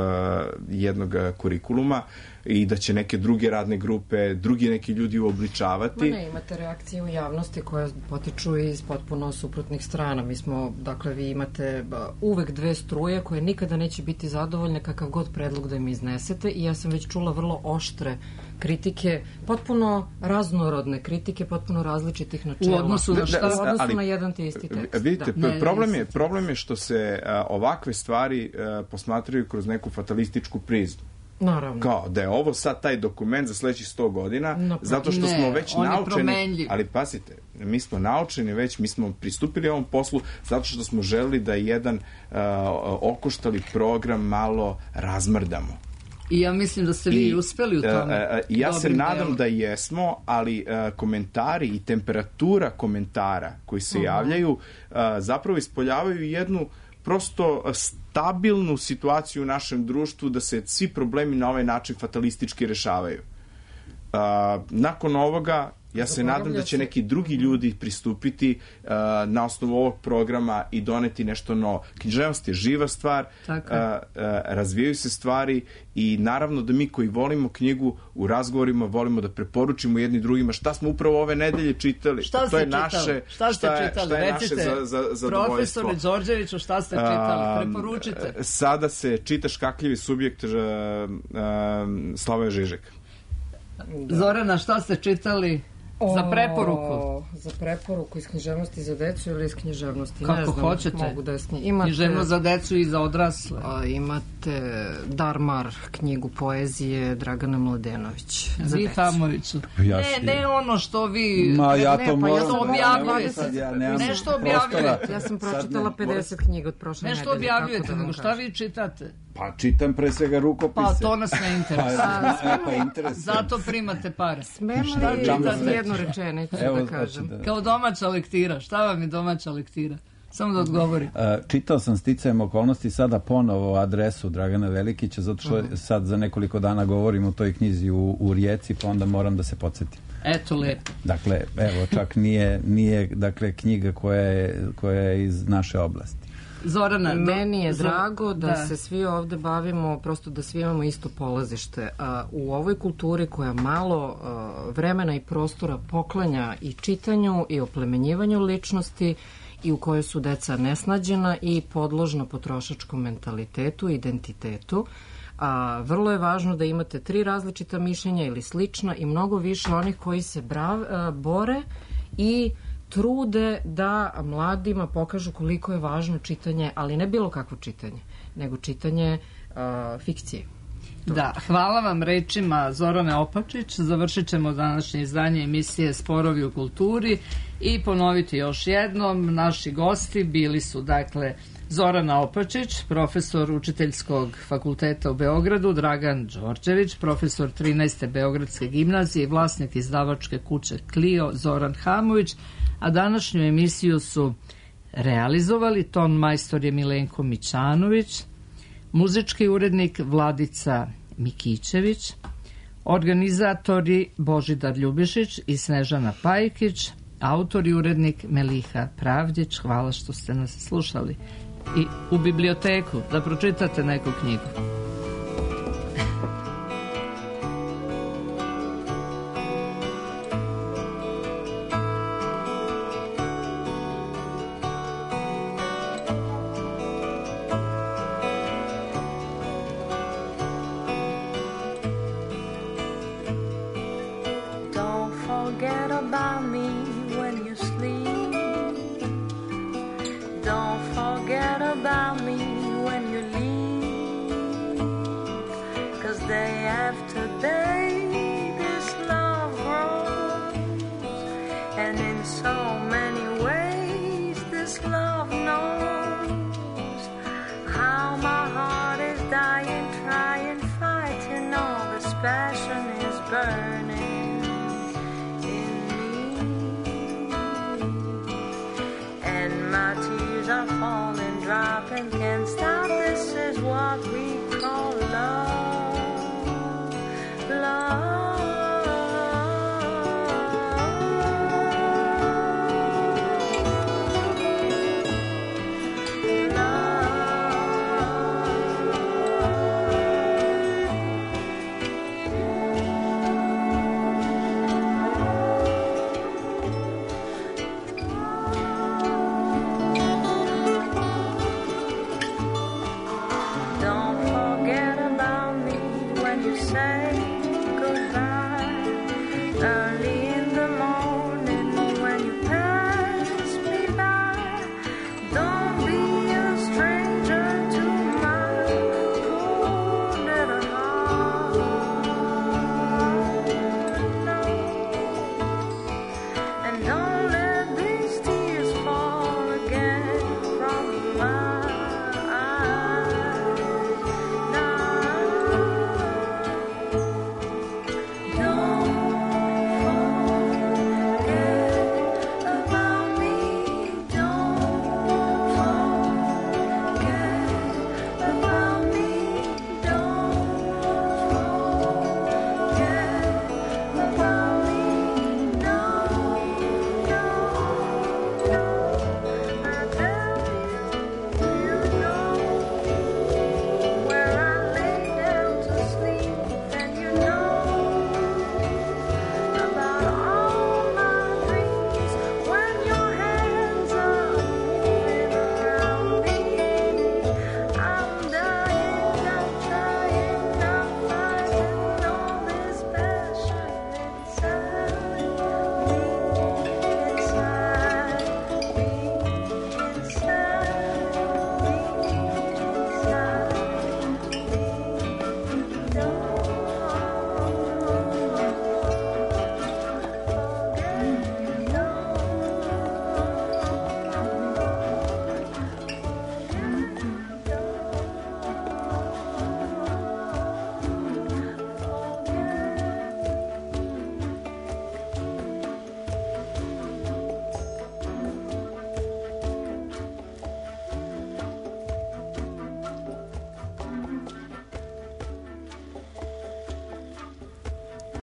jednog kurikuluma i da će neke druge radne grupe, drugi neki ljudi uobličavati. Ma ne, imate reakcije u javnosti koje potiču iz potpuno suprotnih strana. Mi smo, dakle, vi imate ba, uvek dve struje koje nikada neće biti zadovoljne kakav god predlog da im iznesete i ja sam već čula vrlo oštre kritike, potpuno raznorodne kritike, potpuno različitih načela. U odnosu na šta? U odnosu Ali, na jedan te isti tekst. Vidite, Da. Ne, problem, ne, je, problem je što se a, ovakve stvari a, posmatraju kroz neku fatalističku prizmu. Naravno. Kao da je ovo sad taj dokument za sledećih sto godina, No, zato što ne, smo već on je naučeni, promenljiv. ali pazite, mi smo naučeni već, mi smo pristupili ovom poslu zato što smo želeli da jedan uh, okoštali program malo razmrdamo. I ja mislim da ste vi I, uspeli u e, tome. e, ja se dobrim nadam delom. da jesmo, ali e, komentari i temperatura komentara koji se javljaju e, zapravo ispoljavaju jednu prosto stabilnu situaciju u našem društvu da se svi problemi na ovaj način fatalistički rešavaju. Uh, nakon ovoga Ja se nadam da će neki drugi ljudi pristupiti uh, na osnovu ovog programa i doneti nešto novo. Književnost je živa stvar, uh, uh, razvijaju se stvari i naravno da mi koji volimo knjigu u razgovorima volimo da preporučimo jedni drugima šta smo upravo ove nedelje čitali. Šta to ste je čitali? naše, Šta ste šta je, čitali? šta je Recite, naše za, za, zadovoljstvo. Profesore Đorđeviću, šta ste čitali? Preporučite. Uh, sada se čita Škakljivi subjekt uh, uh, Slavoja Žižeka. Da. Zorana, šta ste čitali? Za preporuku. O, za preporuku iz književnosti za decu ili iz književnosti? Kako ne znam, hoćete. Mogu da snij... imate, književnost za decu i za odrasle. A, imate Darmar, knjigu poezije Dragana Mladenović. Za vi Hamoviću. Ja ne, ne ono što vi... Ma ja ne, to pa moram... Nešto objavljujete. Ja nešto objavljujete. Ja sam pročitala pedeset knjiga od prošle nedelje. Nešto objavljujete, nego šta vi čitate? Pa čitam pre svega rukopise. Pa to nas ne interesuje. Pa, pa interesuje. Zato primate pare. Smem li jednu rečenicu da kažem? Da. Kao domaća lektira. Šta vam je domaća lektira? Samo da odgovorim. Čitao sam sticajem okolnosti sada ponovo adresu Dragana Velikića, zato što uh-huh. sad za nekoliko dana govorim o toj knjizi u, u Rijeci, pa onda moram da se podsjetim. Eto, lepo. Dakle, evo, čak nije, nije dakle, knjiga koja je, koja je iz naše oblasti. Zorana, meni je do, drago da, da se svi ovde bavimo, prosto da svi imamo isto polazište. A, u ovoj kulturi koja malo a, vremena i prostora poklanja i čitanju i oplemenjivanju ličnosti i u kojoj su deca nesnađena i podložna potrošačkom mentalitetu, identitetu, a vrlo je važno da imate tri različita mišljenja ili slična i mnogo više onih koji se brav, a, bore i trude da mladima pokažu koliko je važno čitanje, ali ne bilo kakvo čitanje, nego čitanje uh, fikcije. Da, hvala vam rečima Zorane Opačić. Završit ćemo današnje izdanje emisije Sporovi u kulturi i ponoviti još jednom. Naši gosti bili su, dakle, Zorana Opačić, profesor Učiteljskog fakulteta u Beogradu, Dragan Đorđević, profesor trinaeste Beogradske gimnazije i vlasnik izdavačke kuće Clio, Zoran Hamović, a današnju emisiju su realizovali ton majstor je Milenko Mićanović, muzički urednik Vladica Mikićević, organizatori Božidar Ljubišić i Snežana Pajkić, autor i urednik Meliha Pravdić. Hvala što ste nas slušali. I u biblioteku da pročitate neku knjigu. Don't